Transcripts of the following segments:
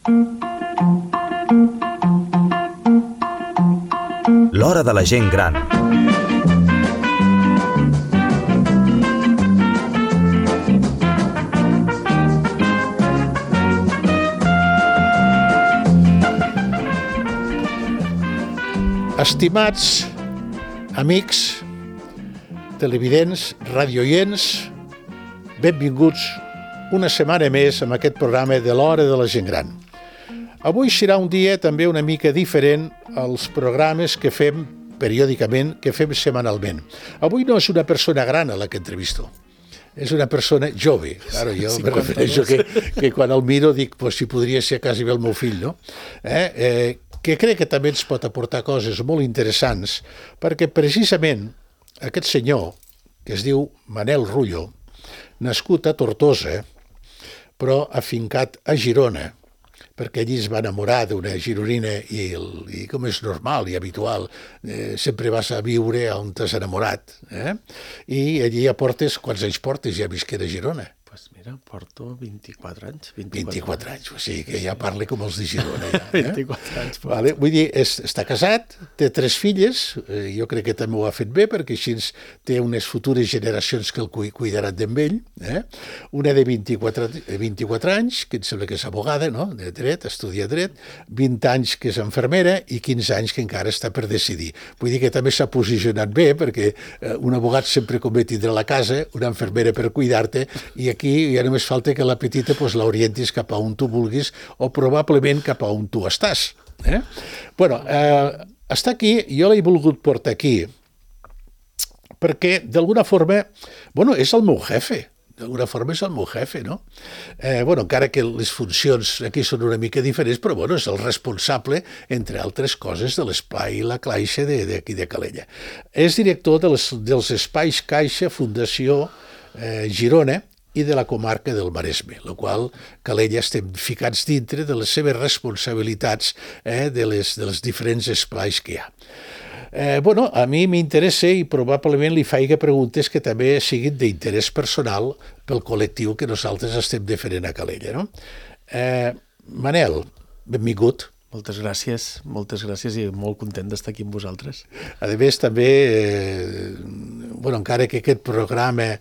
L'hora de la gent gran. Estimats amics, televidents, radioients, benvinguts una setmana més amb aquest programa de l'Hora de la Gent Gran. Avui serà un dia també una mica diferent als programes que fem periòdicament, que fem setmanalment. Avui no és una persona gran a la que entrevisto, és una persona jove. Claro, jo me refereixo que quan el miro dic, pues, si podria ser quasi bé el meu fill, no? Que crec que també ens pot aportar coses molt interessants, perquè precisament aquest senyor, que es diu Manel Rullo, nascut a Tortosa, però afincat a Girona, perquè allí es va enamorar d'una gironina i com és normal i habitual, sempre vas a viure on t'has enamorat. I allí ja portes, quants anys portes ja visquent a Girona? Pues mira, porto 24 anys. 24 anys, o sigui que ja parla com els de Girona. Ja, 24 anys. Vale, vull dir, està casat, té 3 filles, jo crec que també ho ha fet bé, perquè així té unes futures generacions que el cuidaran d'ell. Una de 24 anys, que em sembla que és abogada, no? De dret, estudia dret, 20 anys que és enfermera i 15 anys que encara està per decidir. Vull dir que també s'ha posicionat bé, perquè un abogat sempre convé tindre a la casa, una enfermera per cuidar-te, i aquí ja només falta que la petita l'orientis cap a on tu vulguis o probablement cap a on tu estàs. Bueno, està aquí, jo l'he volgut portar aquí perquè d'alguna forma, bueno, és el meu jefe. D'alguna forma és el meu jefe, no? Encara que les funcions aquí són una mica diferents, però és el responsable, entre altres coses, de l'Espai La Caixa d'aquí de Calella. És director dels Espais Caixa Fundació Girona i de la comarca del Maresme, la qual Calella estem ficats dintre de les seves responsabilitats de les diferents espais que hi ha. A mi m'interessa i probablement li faig preguntes que també siguin d'interès personal pel col·lectiu que nosaltres estem defendent a Calella. No? Manel, benvingut. Moltes gràcies i molt content d'estar aquí amb vosaltres. A més, també, encara que aquest programa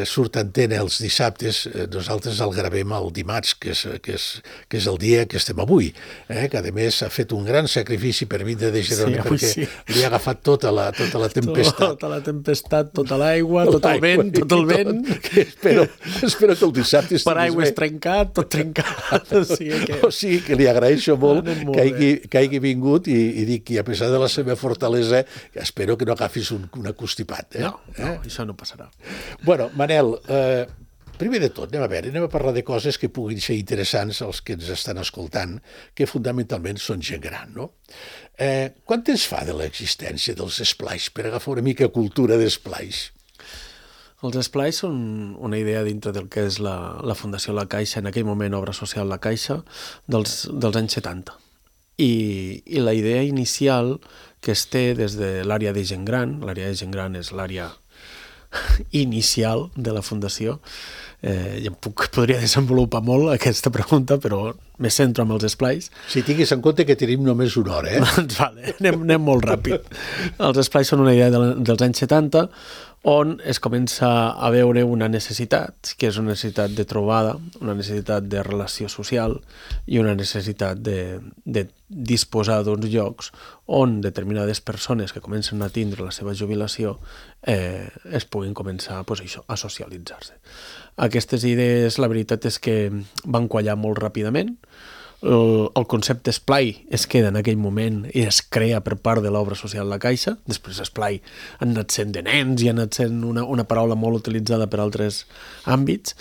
surt a antena els dissabtes, nosaltres el gravem el dimarts, que és el dia que estem avui, que a més ha fet un gran sacrifici per vindre de Girona, perquè li ha agafat tota la tempestat. Tota la tempestat, tota l'aigua, tot el vent. Espero que el dissabte estiguis bé. Paraigües trencat, tot trencat. O sigui que li agraeixo molt que hagi vingut i dic que a pesar de la seva fortalesa espero que no agafis un acostipat. No, això no passarà. Bueno, Manel, primer de tot, anem a parlar de coses que puguin ser interessants als que ens estan escoltant, que fundamentalment són gent gran, no? Quant temps fa de l'existència dels esplais, per agafar una mica cultura d'esplais? Els esplais són una idea dintre del que és la Fundació La Caixa, en aquell moment Obra Social La Caixa, dels anys 70. I la idea inicial que es té des de l'àrea de gent gran, l'àrea de gent gran és l'àrea inicial de la Fundació, podria desenvolupar molt aquesta pregunta, però me centro en els esplais. Si tinguis en compte que tenim només una hora, Doncs vale, anem molt ràpid. Els esplais són una idea dels anys 70, on es comença a veure una necessitat, que és una necessitat de trobada, una necessitat de relació social i una necessitat de disposar d'uns llocs on determinades persones que comencen a tindre la seva jubilació es puguin començar a socialitzar-se. Aquestes idees, la veritat és que van quallar molt ràpidament. El concepte esplai es queda en aquell moment i es crea per part de l'Obra Social La Caixa. Després esplai ha anat sent de nens i ha anat sent una paraula molt utilitzada per altres àmbits,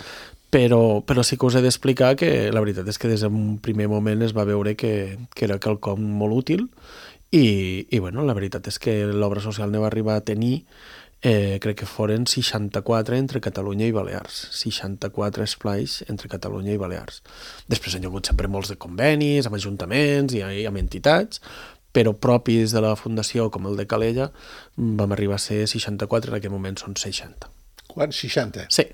però sí que us he d'explicar que la veritat és que des d'un primer moment es va veure que era quelcom molt útil i la veritat és que l'Obra Social ne va arribar a tenir crec que foren 64 entre Catalunya i Balears, 64 esplais entre Catalunya i Balears. Després han hagut sempre molts de convenis amb ajuntaments i amb entitats, però propis de la Fundació, com el de Calella, vam arribar a ser 64, en aquest moment són 60. Quants? 60? Sí.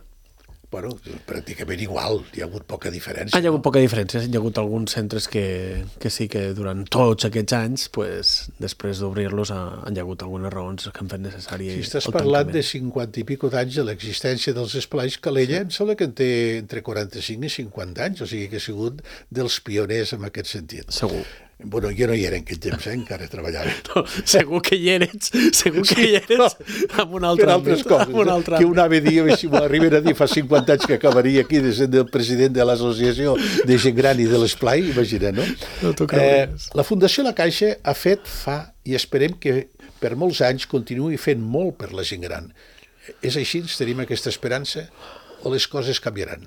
Bueno, pràcticament igual, hi ha hagut poca diferència. Hi ha hagut poca diferència, hi ha hagut alguns centres que sí que durant tots aquests anys, pues, després d'obrir-los, hi ha hagut algunes raons que han fet necessari Si estàs parlant de 50 i pico d'anys de l'existència dels esplais, Calella em sembla que en té entre 45 i 50 anys, o sigui que ha sigut dels pioners en aquest sentit. Segur. Bueno, jo no hi era en aquell temps, encara treballava. No, segur que hi eres amb un altre per altres coses, que un ave dia, si m'ho arriben a dir fa 50 anys que acabaria aquí de ser el president de l'associació de gent gran i de l'esplai, imagina, no? No t'ho creus. La Fundació La Caixa ha fet, i esperem que per molts anys continuï fent molt per la gent gran. És així? Tenim aquesta esperança? O les coses canviaran?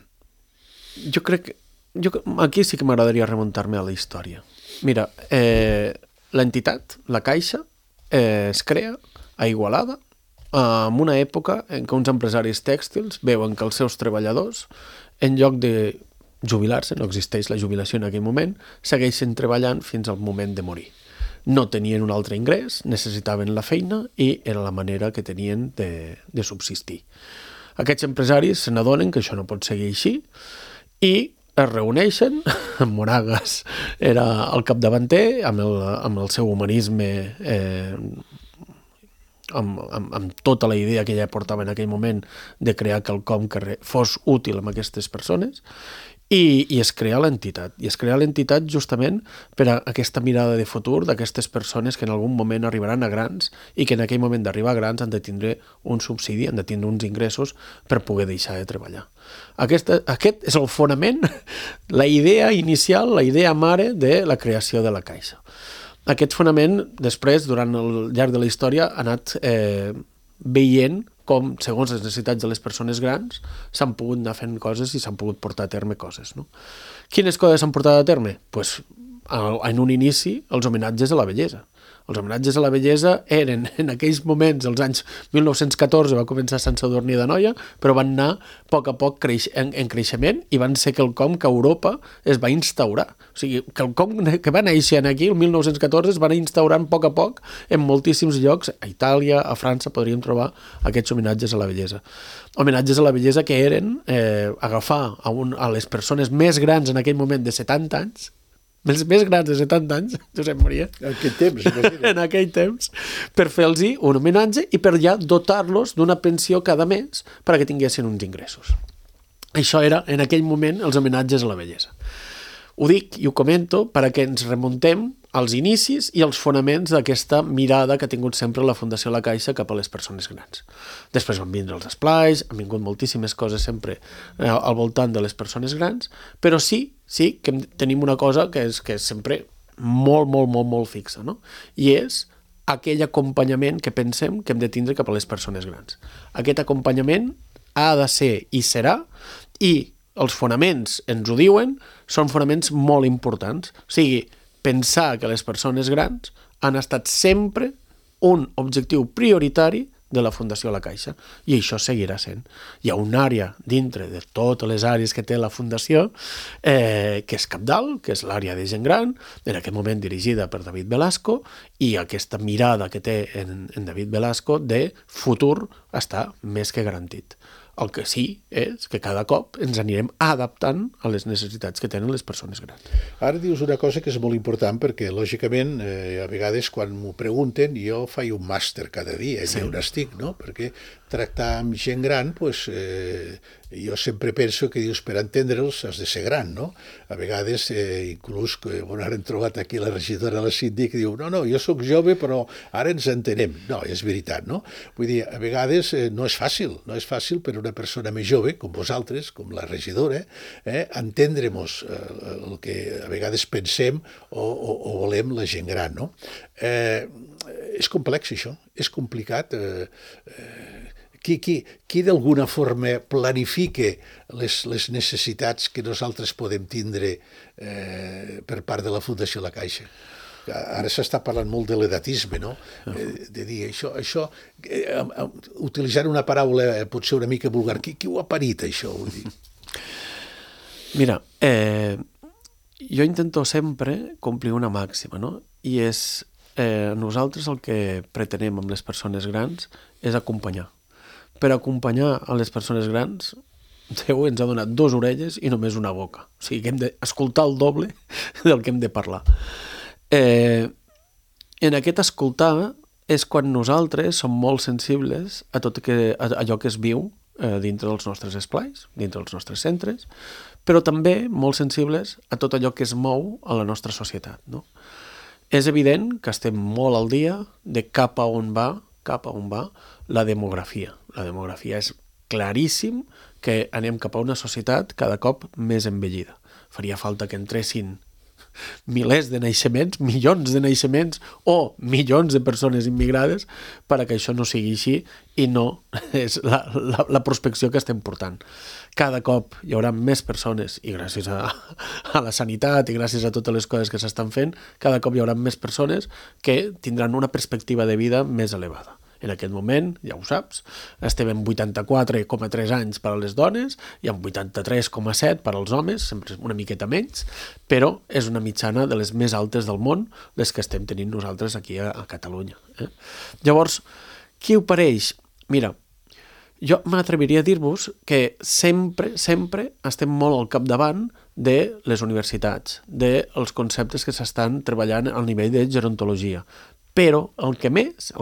Jo crec que aquí sí que m'agradaria remuntar-me a la història. Mira, l'entitat, la Caixa, es crea a Igualada en una època en què uns empresaris tèxtils veuen que els seus treballadors, en lloc de jubilar-se, no existeix la jubilació en aquell moment, segueixen treballant fins al moment de morir. No tenien un altre ingrés, necessitaven la feina i era la manera que tenien de subsistir. Aquests empresaris se n'adonen que això no pot seguir així i es reuneixen, Moragas era el capdavanter, amb el seu humanisme, amb tota la idea que ja portava en aquell moment de crear quelcom que fos útil a aquestes persones, i es crea l'entitat. I es crea l'entitat justament per a aquesta mirada de futur d'aquestes persones que en algun moment arribaran a grans i que en aquell moment d'arribar a grans han de tindre un subsidi, han de tindre uns ingressos per poder deixar de treballar. Aquest és el fonament, la idea inicial, la idea mare de la creació de la Caixa. Aquest fonament, després, durant el llarg de la història, ha anat veient com, segons les necessitats de les persones grans, s'han pogut anar fent coses i s'han pogut portar a terme coses. No? Quines coses s'han portat a terme? Pues, en un inici, els homenatges a la bellesa. Els homenatges a la bellesa eren, en aquells moments, als anys 1914, va començar a Sant Sadurní d'Anoia, però van anar a poc en creixement i van ser quelcom que a Europa es va instaurar. O sigui, quelcom que va néixer aquí, el 1914, es van instaurar a poc en moltíssims llocs. A Itàlia, a França, podríem trobar aquests homenatges a la bellesa. Homenatges a la bellesa que eren agafar a les persones més grans en aquell moment de 70 anys, més grans de 70 anys, Josep Maria, en aquell temps, per fer-los un homenatge i per ja dotar-los d'una pensió cada mes perquè tinguessin uns ingressos. Això era, en aquell moment, els homenatges a la bellesa. Ho dic i ho comento perquè ens remuntem als inicis i als fonaments d'aquesta mirada que ha tingut sempre la Fundació La Caixa cap a les persones grans. Després van vindre els esplais, han vingut moltíssimes coses sempre al voltant de les persones grans, però sí que tenim una cosa que és sempre molt fixa, no? I és aquell acompanyament que pensem que hem de tindre cap a les persones grans. Aquest acompanyament ha de ser i serà, i els fonaments ens ho diuen, són fonaments molt importants. O sigui, pensar que les persones grans han estat sempre un objectiu prioritari de la Fundació La Caixa, i això seguirà sent. Hi ha una àrea dintre de totes les àrees que té la Fundació que és cabdal, que és l'àrea de gent gran, en aquest moment dirigida per David Velasco, i aquesta mirada que té en David Velasco de futur està més que garantit. El que sí és que cada cop ens anirem adaptant a les necessitats que tenen les persones grans. Ara dius una cosa que és molt important perquè, lògicament, a vegades quan m'ho pregunten, jo faig un màster cada dia, sí, on estic, no? Perquè tractar amb gent gran, pues, jo sempre penso que dius, per entendre'ls has de ser gran, no? A vegades, inclús, quan ara hem trobat aquí la regidora de la síndic, diu, no, jo sóc jove, però ara ens entenem. No, és veritat, no? Vull dir, a vegades no és fàcil per una persona més jove, com vosaltres, com la regidora, entendre-nos el que a vegades pensem o volem la gent gran, no? És complex, això, és complicat. Qui d'alguna forma planifica les necessitats que nosaltres podem tindre per part de la Fundació La Caixa? Ara s'està parlant molt de l'edatisme, no? De dir això, utilitzant una paraula potser una mica vulgar, qui ho ha parit, això? Vull dir? Mira, jo intento sempre complir una màxima, no? I és, nosaltres el que pretenem amb les persones grans és acompanyar. Per acompanyar a les persones grans Déu ens ha donat 2 orelles i només una boca. O sigui que hem d'escoltar el doble del que hem de parlar. En aquest escoltar és quan nosaltres som molt sensibles a tot allò que es viu dintre dels nostres esplais, dintre dels nostres centres, però també molt sensibles a tot allò que es mou a la nostra societat, no? És evident que estem molt al dia de cap a on va la demografia. La demografia és claríssim que anem cap a una societat cada cop més envellida. Faria falta que entressin milers de naixements, milions de naixements o milions de persones immigrades per a que això no sigui així i no és la prospecció que estem portant. Cada cop hi haurà més persones i gràcies a la sanitat i gràcies a totes les coses que s'estan fent, cada cop hi haurà més persones que tindran una perspectiva de vida més elevada. En aquest moment, ja ho saps, estem en 84,3 anys per a les dones i en 83,7 per als homes, sempre una miqueta menys, però és una mitjana de les més altes del món, les que estem tenint nosaltres aquí a Catalunya. Llavors, què ho pareix? Mira, jo m'atreviria a dir-vos que sempre estem molt al capdavant de les universitats, dels conceptes que s'estan treballant al nivell de gerontologia. Però el que més,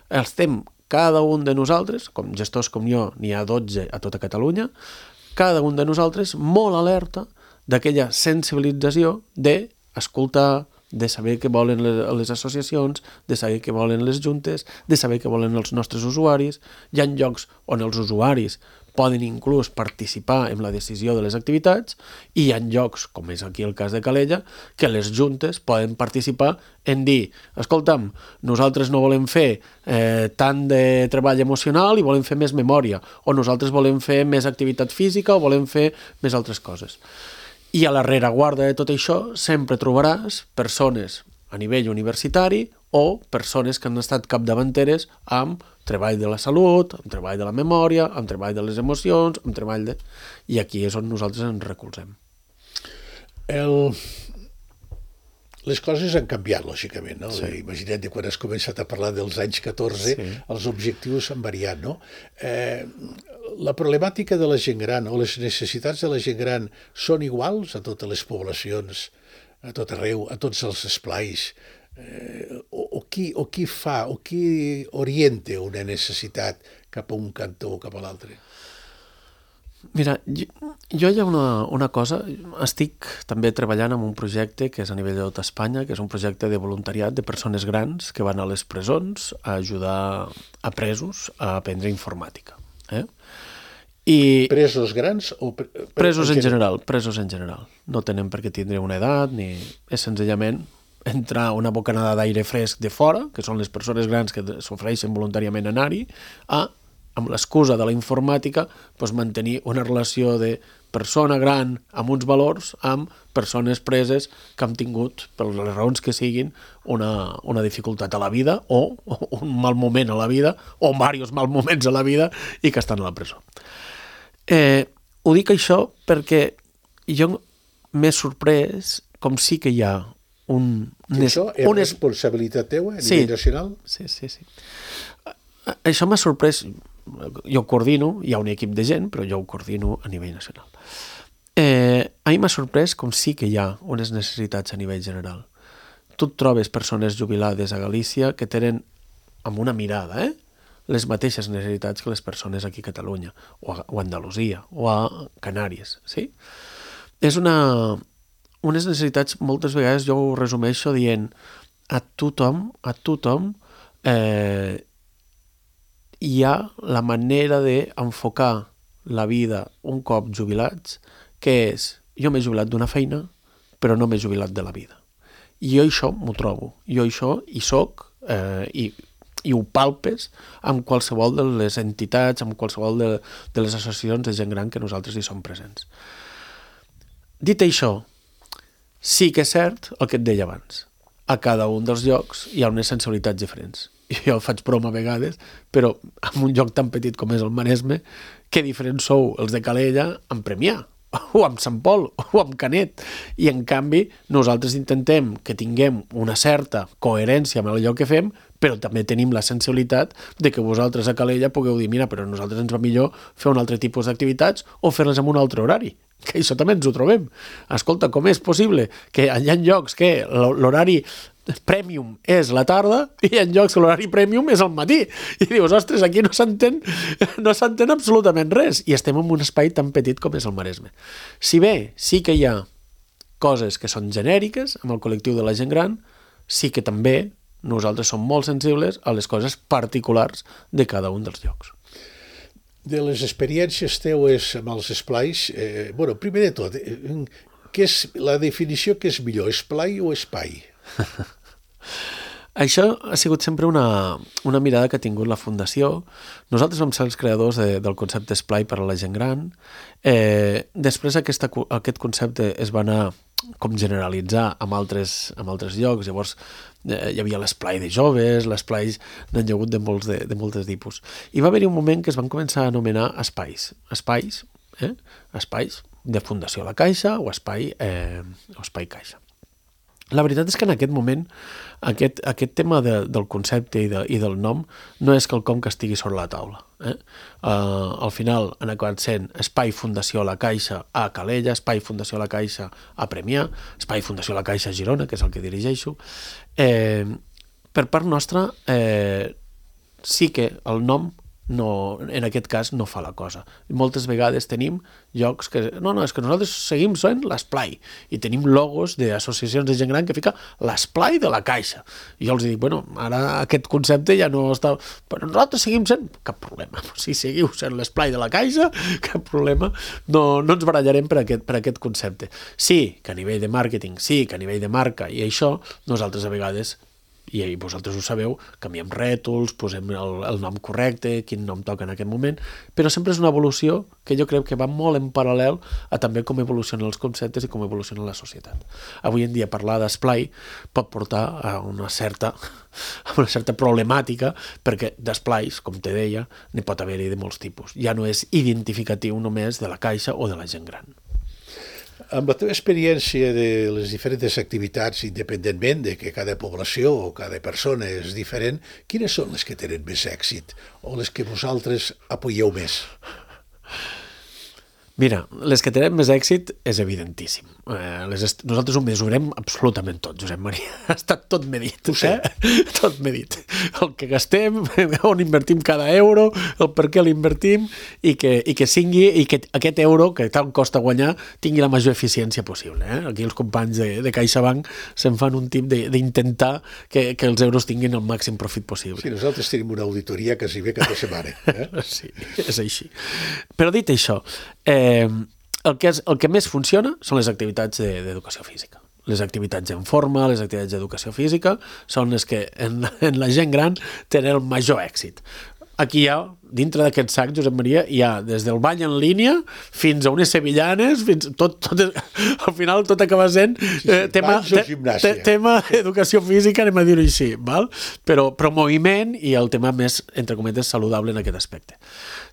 estem cada un de nosaltres, com gestors com jo, n'hi ha 12 a tota Catalunya, cada un de nosaltres molt alerta d'aquella sensibilització d'escoltar, de saber què volen les associacions, de saber què volen les juntes, de saber què volen els nostres usuaris. Hi ha llocs on els usuaris poden inclús participar en la decisió de les activitats i hi ha llocs, com és aquí el cas de Calella, que les juntes poden participar en dir, escolta'm, nosaltres no volem fer tant de treball emocional i volem fer més memòria, o nosaltres volem fer més activitat física o volem fer més altres coses. I a la rereguarda de tot això sempre trobaràs persones a nivell universitari o persones que han estat capdavanteres amb treball de la salut, amb treball de la memòria, amb treball de les emocions, amb treball de... I aquí és on nosaltres ens recolzem. Les coses han canviat, lògicament, no? Sí. Imagina't que quan has començat a parlar dels anys 14, sí, els objectius han variat, no? La problemàtica de la gent gran o les necessitats de la gent gran són iguals a totes les poblacions, a tot arreu, a tots els esplais? O qui orienta una necessitat cap a un cantó o cap a l'altre? Mira, jo hi ha una cosa, estic també treballant en un projecte que és a nivell de tot Espanya, que és un projecte de voluntariat de persones grans que van a les presons a ajudar a presos a aprendre informàtica. I presos grans o... Presos en general. No tenen per què tindre una edat, ni és senzillament entrar una bocanada d'aire fresc de fora, que són les persones grans que s'ofereixen voluntàriament a anar-hi, amb l'excusa de la informàtica, mantenir una relació de persona gran amb uns valors amb persones preses que han tingut, per les raons que siguin, una dificultat a la vida o un mal moment a la vida o diversos mal moments a la vida i que estan a la presó. Ho dic això perquè jo m'he sorprès com sí que hi ha això és responsabilitat teua a nivell nacional? Sí. Això m'ha sorprès. Jo coordino, hi ha un equip de gent, però jo ho coordino a nivell nacional. A mi m'ha sorprès com sí que hi ha unes necessitats a nivell general. Tu et trobes persones jubilades a Galícia que tenen, amb una mirada, les mateixes necessitats que les persones aquí a Catalunya, o a Andalusia, o a Canàries, sí? És unes necessitats, moltes vegades jo ho resumeixo dient a tothom hi ha la manera d'enfocar la vida un cop jubilats, que és, jo m'he jubilat d'una feina, però no m'he jubilat de la vida. I jo això m'ho trobo, jo això hi soc i ho palpes amb qualsevol de les entitats, amb qualsevol de les associacions de gent gran que nosaltres hi som presents. Dit això, sí que és cert el que et deia abans. A cada un dels llocs hi ha unes sensibilitats diferents. Jo faig broma a vegades, però en un lloc tan petit com és el Maresme, que diferents sou els de Calella en Premià, o amb Sant Pol o amb Canet, i en canvi nosaltres intentem que tinguem una certa coherència amb allò que fem, però també tenim la sensibilitat de que vosaltres a Calella pugueu dir, mira, però a nosaltres ens va millor fer un altre tipus d'activitats o fer-les en un altre horari, que això també ens ho trobem. Escolta, com és possible que hi ha llocs que l'horari premium és la tarda i hi ha llocs que l'horari premium és al matí? I dius, ostres, aquí no s'entén absolutament res. I estem en un espai tan petit com és el Maresme. Si bé sí que hi ha coses que són genèriques amb el col·lectiu de la gent gran, sí que també nosaltres som molt sensibles a les coses particulars de cada un dels llocs. De les experiències teues amb els esplais, primer de tot, què és la definició que és millor, esplai o espai? Això ha sigut sempre una mirada que ha tingut la Fundació. Nosaltres vam ser els creadors del concepte esplai per a la gent gran. Després aquest concepte es va anar com generalitzar amb altres llocs. Llavors hi havia l'esplai de joves, l'esplais n'han hagut de molts tipus. I va haver-hi un moment que es van començar a anomenar espais. Espais de Fundació La Caixa o espai Caixa. La veritat és que en aquest moment aquest tema del concepte i del nom no és quelcom que estigui sobre la taula. Al final han acabat sent Espai Fundació La Caixa a Calella, Espai Fundació La Caixa a Premià, Espai Fundació La Caixa a Girona, que és el que dirigeixo. Per part nostra, sí que el nom en aquest cas no fa la cosa. Moltes vegades tenim llocs que... No, és que nosaltres seguim sent l'esplai i tenim logos d'associacions de gent gran que fica l'esplai de la Caixa. I jo els dic, ara aquest concepte ja no està... Però nosaltres seguim sent... Cap problema. Si seguiu sent l'esplai de la Caixa, cap problema. No ens barallarem per aquest concepte. Sí que a nivell de màrqueting, sí que a nivell de marca i això, nosaltres a vegades... i vosaltres ho sabeu, canviem rètols, posem el nom correcte, quin nom toca en aquest moment, però sempre és una evolució que jo crec que va molt en paral·lel a també com evolucionen els conceptes i com evoluciona la societat. Avui en dia parlar d'esplai pot portar a una certa problemàtica, perquè d'esplais, com te deia, n'hi pot haver-hi de molts tipus. Ja no és identificatiu només de la Caixa o de la gent gran. Amb la teva experiència de les diferents activitats, independentment de que cada població o cada persona és diferent, quines són les que tenen més èxit o les que vosaltres apoyeu més? Mira, les que tenen més èxit és evidentíssim. Nosaltres ho mesurem absolutament tot, Josep Maria. Ha estat tot medit. Ho sé. Tot medit. El que gastem, on invertim cada euro, el per què l'invertim i que aquest euro, que tant costa guanyar, tingui la major eficiència possible. Aquí els companys de CaixaBank se'n fan un tip d'intentar que els euros tinguin el màxim profit possible. Sí, nosaltres tenim una auditoria quasi bé cada setmana. Sí, és així. Però dit això, el que més funciona són les activitats d'educació física. Les activitats en forma, les activitats d'educació física són les que en la gent gran tenen el major èxit. Aquí hi ha, dintre d'aquest sac, Josep Maria, hi ha des del bany en línia fins a unes sevillanes, al final tot acaba sent tema educació física, anem a dir-ho així, val? Però moviment i el tema més, entre cometes, saludable en aquest aspecte.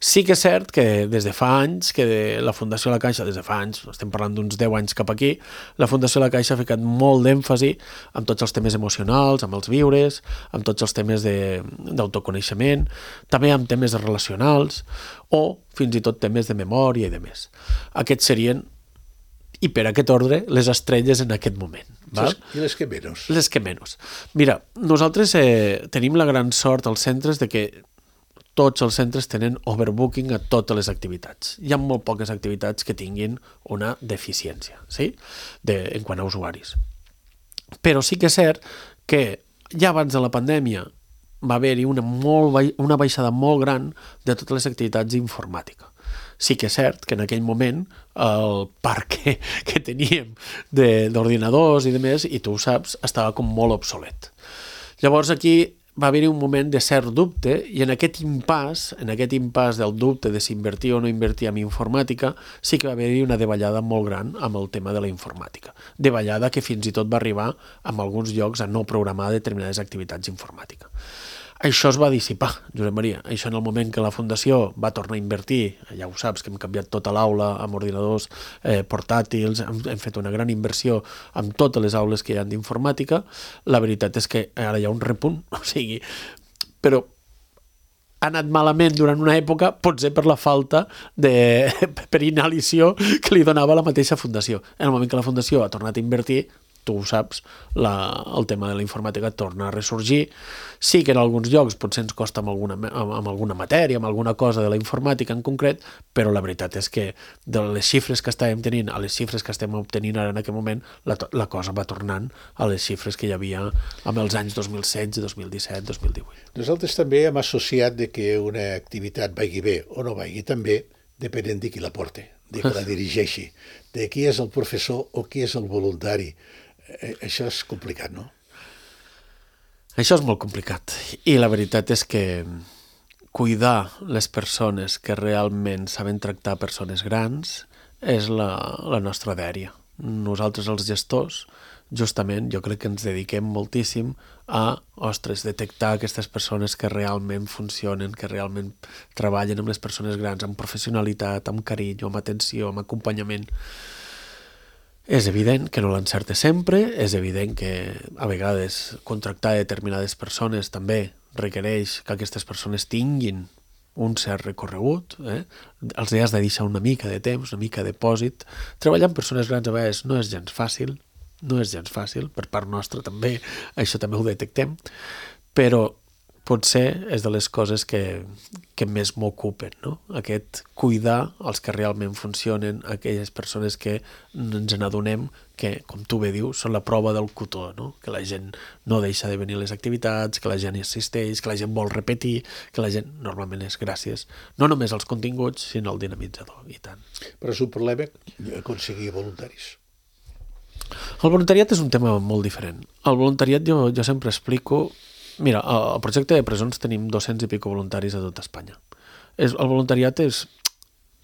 Sí que és cert que des de fa anys, que la Fundació La Caixa, des de fa anys, estem parlant d'uns 10 anys cap aquí, la Fundació La Caixa ha ficat molt d'èmfasi amb tots els temes emocionals, amb els viures, amb tots els temes d'autoconeixement, també amb temes relacionals o fins i tot temes de memòria i de més. Aquests serien, i per aquest ordre, les estrelles en aquest moment. Val? I les que menys? Les que menys. Mira, nosaltres tenim la gran sort als centres de que tots els centres tenen overbooking a totes les activitats. Hi ha molt poques activitats que tinguin una deficiència, sí? En quant a usuaris. Però sí que és cert que ja abans de la pandèmia va haver-hi una baixada molt gran de totes les activitats d'informàtica. Sí que és cert que en aquell moment el parc que teníem d'ordinadors i de més, i tu ho saps, estava com molt obsolet. Llavors aquí va haver-hi un moment de cert dubte i en aquest impàs del dubte de si invertir o no invertir en informàtica, sí que va haver-hi una davallada molt gran amb el tema de la informàtica. Davallada que fins i tot va arribar en alguns llocs a no programar determinades activitats d'informàtica. Això es va dissipar, Josep Maria. Això en el moment que la Fundació va tornar a invertir, ja ho saps, que hem canviat tota l'aula amb ordinadors portàtils, hem fet una gran inversió amb totes les aules que hi ha d'informàtica, la veritat és que ara hi ha un repunt, o sigui, però ha anat malament durant una època, potser per la falta per inhalició que li donava la mateixa Fundació. En el moment que la Fundació ha tornat a invertir, tu ho saps, el tema de la informàtica torna a ressorgir. Sí que en alguns llocs potser ens costa amb alguna matèria, amb alguna cosa de la informàtica en concret, però la veritat és que de les xifres que estàvem tenint a les xifres que estem obtenint ara en aquest moment, la cosa va tornant a les xifres que hi havia amb els anys 2016, 2017, 2018. Nosaltres també hem associat de que una activitat vagi bé o no vagi també depenent de qui la porti, de qui la dirigeixi, de qui és el professor o qui és el voluntari. Això és complicat, no? Això és molt complicat. I la veritat és que cuidar les persones que realment saben tractar persones grans és la nostra dèria. Nosaltres, els gestors, justament, jo crec que ens dediquem moltíssim a, detectar aquestes persones que realment funcionen, que realment treballen amb les persones grans, amb professionalitat, amb carinyo, amb atenció, amb acompanyament. És evident que no l'encerta sempre, és evident que a vegades contractar determinades persones també requereix que aquestes persones tinguin un cert recorregut, els has de deixar una mica de temps, una mica de depòsit. Treballar amb persones grans a vegades no és gens fàcil, per part nostra també, això també ho detectem, però potser és de les coses que més m'ocupen, no? Aquest cuidar els que realment funcionen, aquelles persones que ens n'adonem que, com tu bé dius, són la prova del cotó, no? Que la gent no deixa de venir a les activitats, que la gent hi assisteix, que la gent vol repetir, que la gent normalment és gràcies, no només als continguts, sinó al dinamitzador, i tant. Però és un problema aconseguir voluntaris. El voluntariat és un tema molt diferent. El voluntariat jo sempre explico. Mira, al projecte de presons tenim 200 i pico voluntaris a tot Espanya. El voluntariat és...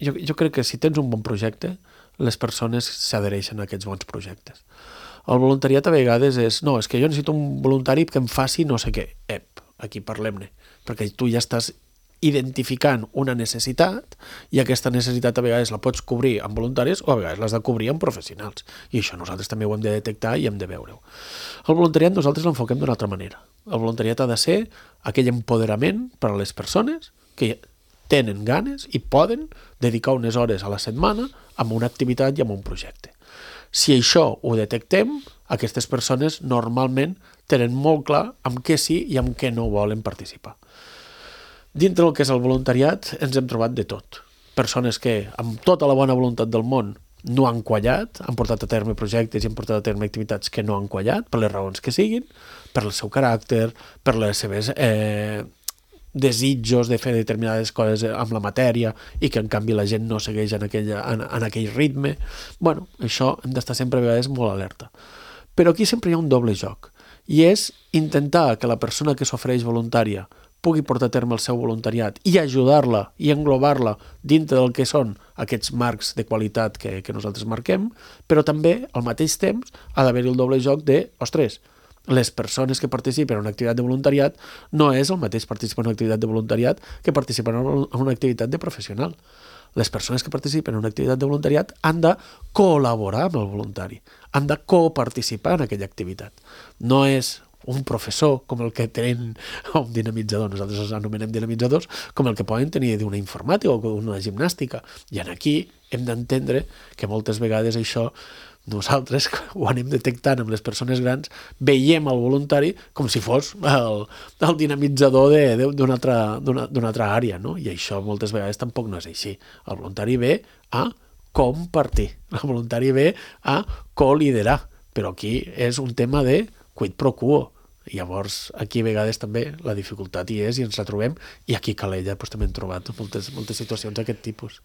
Jo crec que si tens un bon projecte, les persones s'adhereixen a aquests bons projectes. El voluntariat a vegades és... No, és que jo necessito un voluntari que em faci no sé què. Aquí parlem-ne. Perquè tu ja estàs identificant una necessitat i aquesta necessitat a vegades la pots cobrir amb voluntaris o a vegades l'has de cobrir amb professionals. I això nosaltres també ho hem de detectar i hem de veure-ho. El voluntariat nosaltres l'enfoquem d'una altra manera. El voluntariat ha de ser aquell empoderament per a les persones que tenen ganes i poden dedicar unes hores a la setmana a una activitat i a un projecte. Si això ho detectem, aquestes persones normalment tenen molt clar amb què sí i amb què no volen participar. Dintre del que és el voluntariat ens hem trobat de tot. Persones que, amb tota la bona voluntat del món, no han quallat, han portat a terme projectes i han portat a terme activitats que no han quallat, per les raons que siguin, per el seu caràcter, per les seves desitjos de fer determinades coses amb la matèria i que en canvi la gent no segueix en aquell ritme. Bueno, això hem d'estar sempre a vegades molt alerta. Però aquí sempre hi ha un doble joc i és intentar que la persona que s'ofereix voluntària pugui portar a terme el seu voluntariat i ajudar-la i englobar-la dintre del que són aquests marcs de qualitat que nosaltres marquem, però també, al mateix temps, ha d'haver-hi el doble joc de, les persones que participen en una activitat de voluntariat no és el mateix participar en una activitat de voluntariat que participar en una activitat de professional. Les persones que participen en una activitat de voluntariat han de col·laborar amb el voluntari, han de coparticipar en aquella activitat. No és un professor com el que tenen un dinamitzador, nosaltres els anomenem dinamitzadors, com el que poden tenir d'una informàtica o d'una gimnàstica. I aquí hem d'entendre que moltes vegades això nosaltres ho anem detectant amb les persones grans, veiem el voluntari com si fos el dinamitzador d'una altra àrea, no? I això moltes vegades tampoc no és així. El voluntari ve a compartir, el voluntari ve a col·liderar, però aquí és un tema de quid pro quo. Llavors, aquí a vegades també la dificultat hi és i ens la trobem, i aquí a Calella també hem trobat moltes situacions d'aquest tipus.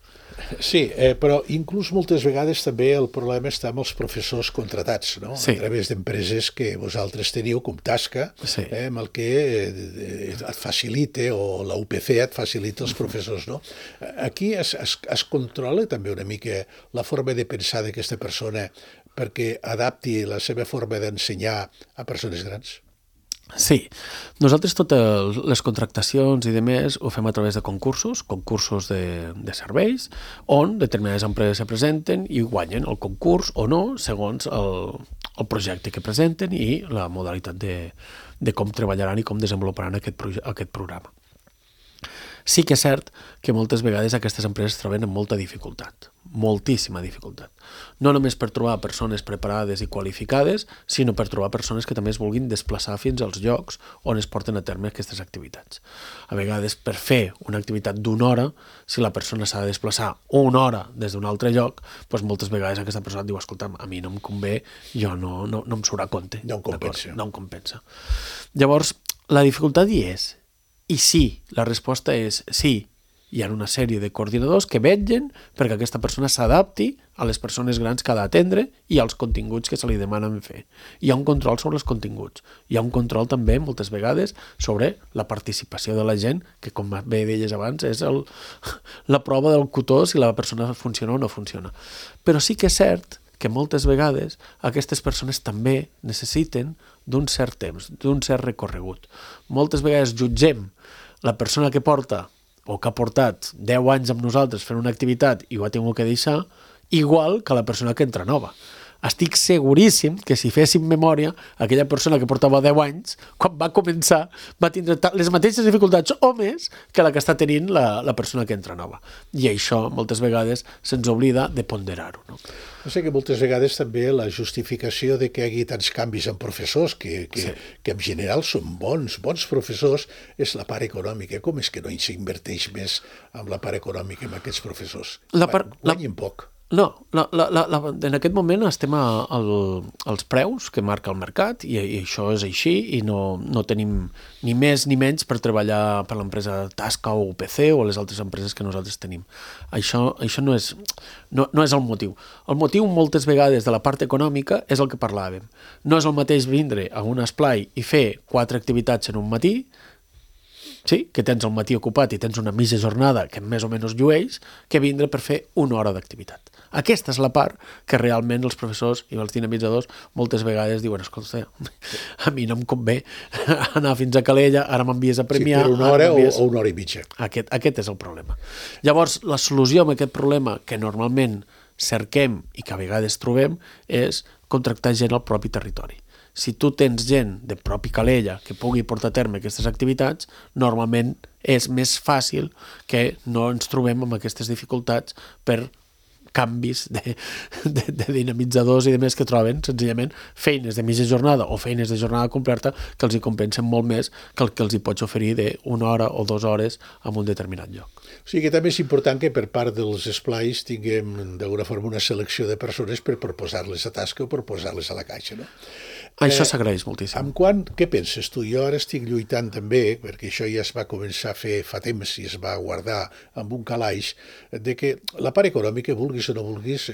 Sí, però inclús moltes vegades també el problema està amb els professors contratats, no? Sí. A través d'empreses que vosaltres teniu com Tasca, sí. Amb el que et facilita, o la UPC et facilita els professors, no? Aquí es controla també una mica la forma de pensar d'aquesta persona perquè adapti la seva forma d'ensenyar a persones grans? Sí, nosaltres totes les contractacions i demés ho fem a través de concursos de serveis, on determinades empreses se presenten i guanyen el concurs o no, segons el projecte que presenten i la modalitat de com treballaran i com desenvoluparan aquest programa. Sí que és cert que moltes vegades aquestes empreses troben amb molta dificultat, moltíssima dificultat. No només per trobar persones preparades i qualificades, sinó per trobar persones que també es vulguin desplaçar fins als llocs on es porten a terme aquestes activitats. A vegades, per fer una activitat d'una hora, si la persona s'ha de desplaçar una hora des d'un altre lloc, doncs moltes vegades aquesta persona diu, escolta'm, a mi no em convé, jo no em surt a compte. No em compensa. No em compensa. Llavors, la dificultat hi és. I sí, la resposta és sí. Hi ha una sèrie de coordinadors que vetllen perquè aquesta persona s'adapti a les persones grans que ha d'atendre i als continguts que se li demanen fer. Hi ha un control sobre els continguts. Hi ha un control també, moltes vegades, sobre la participació de la gent, que com bé deies abans, és la prova del cotó si la persona funciona o no funciona. Però sí que és cert que moltes vegades aquestes persones també necessiten d'un cert temps, d'un cert recorregut. Moltes vegades jutgem la persona que porta o que ha portat 10 anys amb nosaltres fent una activitat i ho ha tingut que deixar, igual que la persona que entra nova. Estic seguríssim que si féssim memòria, aquella persona que portava 10 anys, quan va començar, va tindre les mateixes dificultats o més que la que està tenint la persona que entra nova. I això, moltes vegades, se'ns oblida de ponderar-ho. No? No sé que moltes vegades també la justificació de que hi hagi tants canvis en professors, que en general són bons professors, és la part econòmica. Com és que no s'inverteix més en la part econòmica amb aquests professors? Guanyen poc. No, en aquest moment estem als preus que marca el mercat i això és així i no tenim ni més ni menys per treballar per l'empresa Tasca o UPC o les altres empreses que nosaltres tenim. Això no és el motiu. El motiu moltes vegades de la part econòmica és el que parlàvem. No és el mateix vindre a un esplai i fer 4 activitats en un matí, sí, que tens el matí ocupat i tens una mitja jornada que més o menys llueix, que vindre per fer una hora d'activitat. Aquesta és la part que realment els professors i els dinamitzadors moltes vegades diuen, escolta, a mi no em convé anar fins a Calella, ara m'envies a premiar... Sí, per una hora o una hora i mitja. Aquest és el problema. Llavors, la solució a aquest problema que normalment cerquem i que a vegades trobem és contractar gent al propi territori. Si tu tens gent de propi Calella que pugui portar a terme aquestes activitats, normalment és més fàcil que no ens trobem amb aquestes dificultats per canvis de dinamitzadors i de més que troben senzillament feines de mitja jornada o feines de jornada completa que els hi compensen molt més que el que els hi pots oferir d'una hora o 2 hores en un determinat lloc. O sigui que també és important que per part dels esplais tinguem d'alguna forma una selecció de persones per proposar-les a tasca o proposar-les a la caixa, no? Això s'agraeix moltíssim. Què penses tu? Jo ara estic lluitant també, perquè això ja es va començar a fer fa temps i es va guardar amb un calaix, de que la part econòmica, vulguis o no vulguis,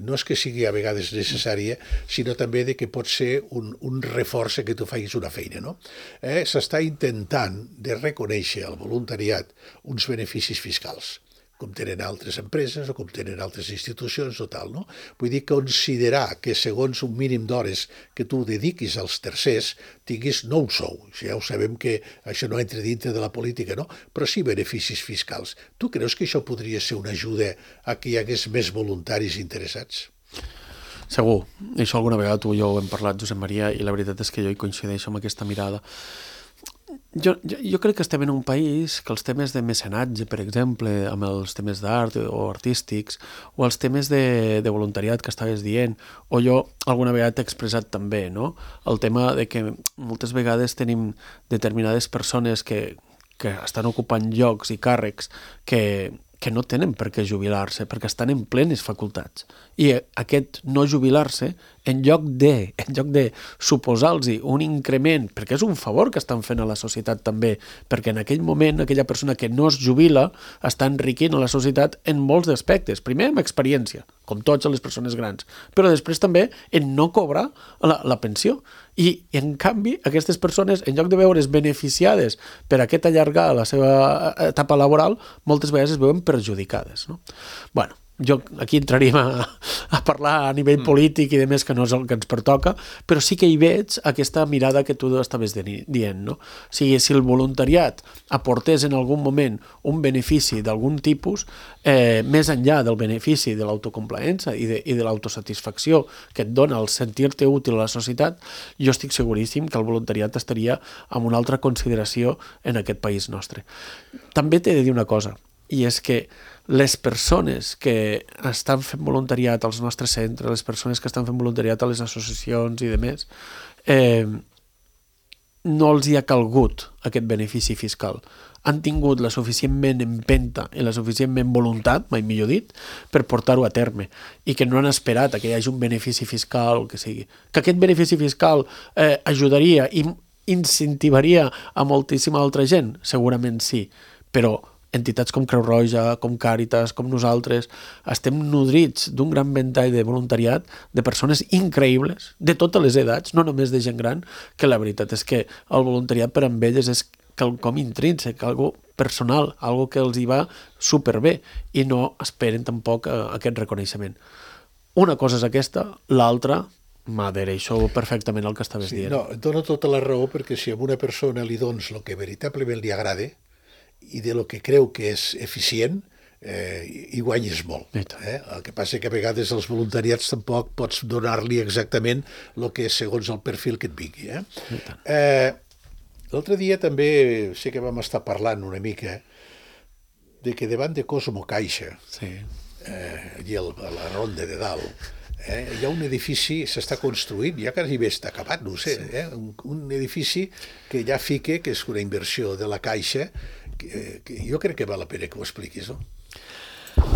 no és que sigui a vegades necessària, sinó també de que pot ser un reforç que tu facis una feina, no? S'està intentant de reconèixer al voluntariat uns beneficis fiscals, com tenen altres empreses o com tenen altres institucions o tal, no? Vull dir, considerar que segons un mínim d'hores que tu dediquis als tercers tinguis no un sou, ja ho sabem que això no entra dintre de la política, no? Però sí beneficis fiscals. Tu creus que això podria ser una ajuda a que hi hagués més voluntaris interessats? Segur. Això alguna vegada tu i jo ho hem parlat, Josep Maria, i la veritat és que jo hi coincideixo amb aquesta mirada. Jo crec que estem en un país que els temes de mecenatge, per exemple, amb els temes d'art o artístics, o els temes de voluntariat que estaves dient, o jo alguna vegada t'he expressat també, no? El tema de que moltes vegades tenim determinades persones que estan ocupant llocs i càrrecs que no tenen per què jubilar-se, perquè estan en plenes facultats. I aquest no jubilar-se, en lloc de suposar-los un increment, perquè és un favor que estan fent a la societat també, perquè en aquell moment aquella persona que no es jubila està enriquint a la societat en molts aspectes. Primer, amb experiència, com totes les persones grans, però després també en no cobrar la pensió. I, en canvi, aquestes persones, en lloc de veure's beneficiades per aquest allargar la seva etapa laboral, moltes vegades es veuen perjudicades, no? Bueno, aquí entraríem a parlar a nivell polític i de més, que no és el que ens pertoca, però sí que hi veig aquesta mirada que tu estaves dient, no? O sigui, si el voluntariat aportés en algun moment un benefici d'algun tipus, més enllà del benefici de l'autocomplaença i de l'autosatisfacció que et dona el sentir-te útil a la societat, jo estic seguríssim que el voluntariat estaria en una altra consideració en aquest país nostre. També t'he de dir una cosa, i és que les persones que estan fent voluntariat als nostres centres, les persones que estan fent voluntariat a les associacions i demés, no els hi ha calgut aquest benefici fiscal. Han tingut la suficientment empenta i la suficientment voluntat, mai millor dit, per portar-ho a terme, i que no han esperat que hi hagi un benefici fiscal o que sigui. Que aquest benefici fiscal ajudaria i incentivaria a moltíssima altra gent? Segurament sí, però entitats com Creu Roja, com Càritas, com nosaltres, estem nodrits d'un gran ventall de voluntariat de persones increïbles, de totes les edats, no només de gent gran, que la veritat és que el voluntariat per amb elles és quelcom intrínsec, algo personal, algo que els hi va superbé, i no esperen tampoc aquest reconeixement. Una cosa és aquesta, l'altra m'adhereixo perfectament al que estaves dient. No, et dono tota la raó, perquè si a una persona li dones el que veritablement li agrada, i de lo que creu que és eficient, hi guanyes molt. El que passa que a vegades els voluntariats tampoc pots donar-li exactament el que és segons el perfil que et vingui. L'altre dia també sé que vam estar parlant una mica de que davant de Cosmo Caixa, allí a la Ronda de Dalt, hi ha un edifici, s'està construint, ja quasi bé està acabat, no ho sé, un edifici que ja fica que és una inversió de la Caixa, que jo crec que val la pena que ho expliquis, no?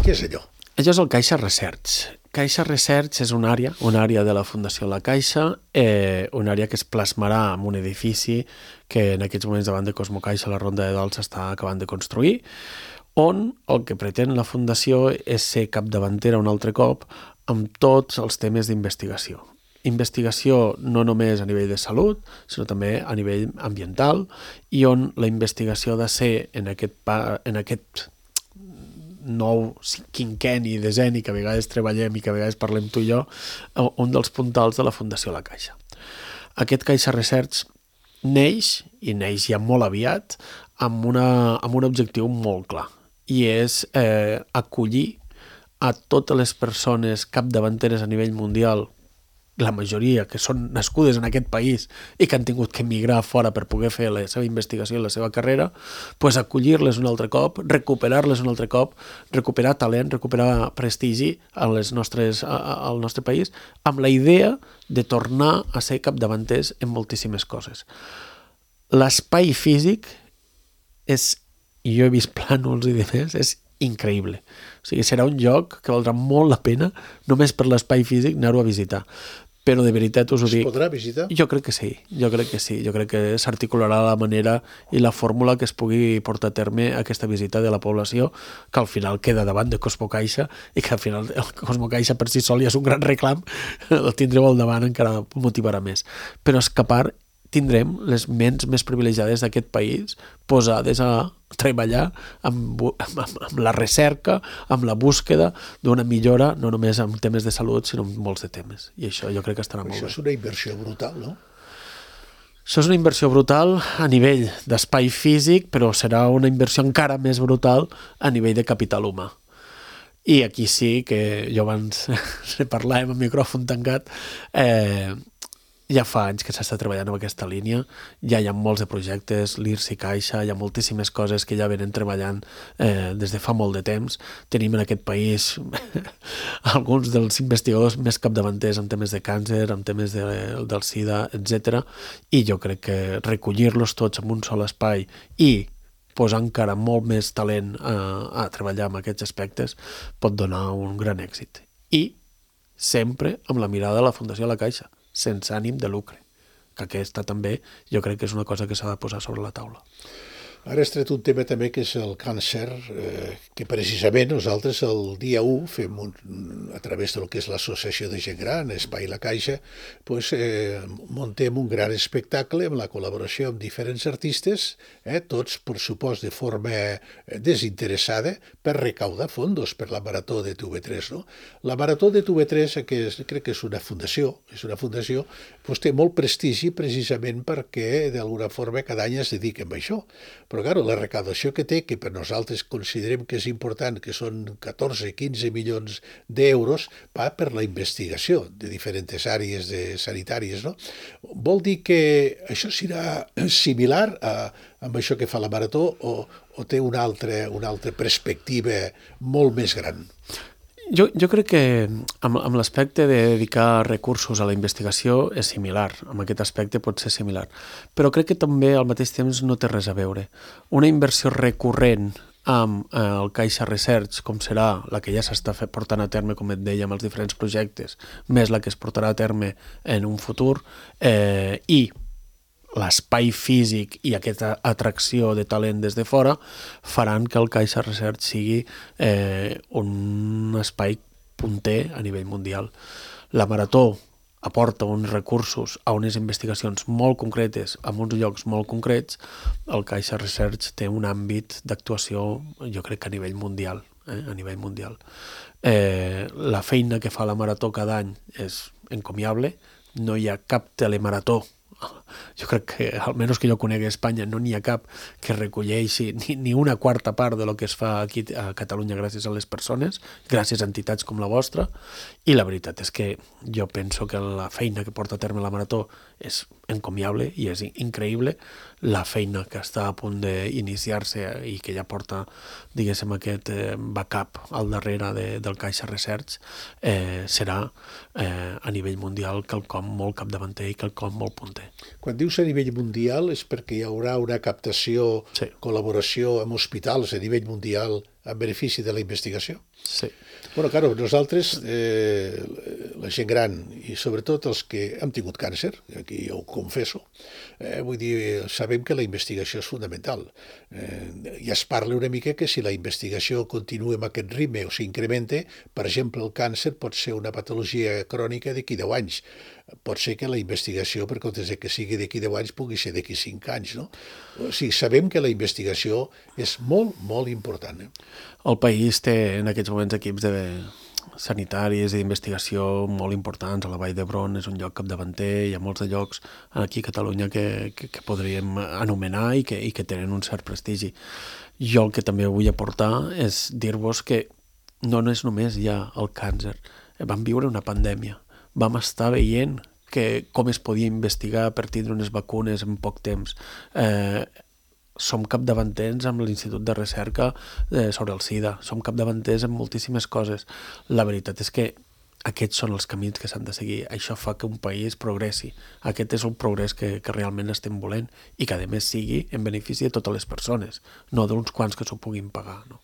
Què és allò? Això és el Caixa Research. Caixa Research és una àrea de la Fundació La Caixa, una àrea que es plasmarà en un edifici que en aquests moments davant de Cosmo Caixa, la Ronda de Dalt, s'està acabant de construir, on el que pretén la Fundació és ser capdavantera un altre cop amb tots els temes d'investigació. Investigació no només a nivell de salut, sinó també a nivell ambiental, i on la investigació ha de ser en aquest nou quinquenni, decenni, que a vegades treballem i que a vegades parlem tu i jo, un dels puntals de la Fundació La Caixa. Aquest Caixa Research neix ja molt aviat, amb un objectiu molt clar, i és acollir a totes les persones capdavanteres a nivell mundial, la majoria que són nascudes en aquest país i que han tingut que emigrar fora per poder fer la seva investigació i la seva carrera, pues acollir-les un altre cop, recuperar-les un altre cop, recuperar talent, recuperar prestigi al nostre país, amb la idea de tornar a ser capdavanters en moltíssimes coses. L'espai físic és, i jo he vist plànols i demés, és increïble. O sigui, serà un lloc que valdrà molt la pena, només per l'espai físic, anar-ho a visitar. Però de veritat us ho dic. Es podrà visitar? Jo crec que sí. Jo crec que s'articularà la manera i la fórmula que es pugui portar a terme aquesta visita de la població, que al final queda davant de Cosmo Caixa, i que al final el Cosmo Caixa per si sol ja és un gran reclam, el tindreu al davant encara motivarà més. Però és que a part tindrem les ments més privilegiades d'aquest país posades a treballar amb la recerca, amb la búsqueda d'una millora, no només en temes de salut, sinó en molts de temes. I això jo crec que estarà molt bé. Això és una inversió brutal, no? Això és una inversió brutal a nivell d'espai físic, però serà una inversió encara més brutal a nivell de capital humà. I aquí sí que jo abans parlàvem amb micròfon tancat, ja fa anys que s'està treballant en aquesta línia, ja hi ha molts de projectes, l'IRSI Caixa, hi ha moltíssimes coses que ja venen treballant des de fa molt de temps. Tenim en aquest país alguns dels investigadors més capdavanters en temes de càncer, en temes del SIDA, etc. I jo crec que recollir-los tots en un sol espai i posar encara molt més talent a treballar en aquests aspectes pot donar un gran èxit. I sempre amb la mirada de la Fundació La Caixa, sense ànim de lucre, que aquesta també jo crec que és una cosa que s'ha de posar sobre la taula. Ara has tret un tema també que és el càncer, que precisament nosaltres el dia 1 fem a través del que és l'Associació de Gent Gran, Espai La Caixa, pues, muntem un gran espectacle amb la col·laboració amb diferents artistes, tots, per supost, de forma desinteressada, per recaudar fondos per la Marató de TV3. No? La Marató de TV3, que crec que és una fundació, pues, té molt prestigi precisament perquè d'alguna forma cada any es dediquen a això. Però, clar, la recaudació que té, que per nosaltres considerem que és important, que són 14-15 milions d'euros, va per la investigació de diferents àrees sanitàries. No? Vol dir que això serà similar amb això que fa la Marató o té una altra perspectiva molt més gran? Jo crec que amb l'aspecte de dedicar recursos a la investigació és similar, amb aquest aspecte pot ser similar, però crec que també al mateix temps no té res a veure. Una inversió recurrent amb el Caixa Research, com serà la que ja s'està portant a terme, com et deia, amb els diferents projectes, més la que es portarà a terme en un futur, i l'espai físic i aquesta atracció de talent des de fora faran que el Caixa Research sigui un espai punter a nivell mundial. La Marató aporta uns recursos a unes investigacions molt concretes, en uns llocs molt concrets. El Caixa Research té un àmbit d'actuació, jo crec que a nivell mundial. La feina que fa la Marató cada any és encomiable, no hi ha cap telemarató. Jo crec que, almenys que jo conegui a Espanya, no n'hi ha cap que recolleixi ni una quarta part de lo que es fa aquí a Catalunya gràcies a les persones, gràcies a entitats com la vostra, i la veritat és que jo penso que la feina que porta a terme la Marató és encomiable i és increïble. La feina que està a punt d'iniciar-se i que ja porta, diguéssim, aquest backup al darrere del Caixa Research serà a nivell mundial quelcom molt capdavanter i quelcom molt punter. Quan dius a nivell mundial és perquè hi haurà una captació, sí, col·laboració amb hospitals a nivell mundial en benefici de la investigació? Sí. Bueno, claro, nosaltres, la gent gran i sobretot els que hem tingut càncer, aquí ja ho confesso, vull dir, sabem que la investigació és fundamental. Ja es parla una mica que si la investigació continua amb aquest ritme o s'incrementa, per exemple, el càncer pot ser una patologia crònica d'aquí 10 anys. Pot ser que la investigació, per comptes que sigui d'aquí 10 anys, pugui ser d'aquí 5 anys. No? O sigui, sabem que la investigació és molt, molt important. El país té en aquests moments equips sanitaris i d'investigació molt importants. A la Vall d'Hebron és un lloc capdavanter, hi ha molts de llocs aquí a Catalunya que podríem anomenar i que tenen un cert prestigi. Jo el que també vull aportar és dir-vos que no és només ja el càncer. Vam viure una pandèmia. Vam estar veient com es podia investigar per tindre unes vacunes en poc temps. Som capdavanters amb l'Institut de Recerca sobre el SIDA, som capdavanters en moltíssimes coses. La veritat és que aquests són els camins que s'han de seguir. Això fa que un país progressi. Aquest és un progrés que realment estem volent i que a més sigui en benefici de totes les persones, no d'uns quants que s'ho puguin pagar. No?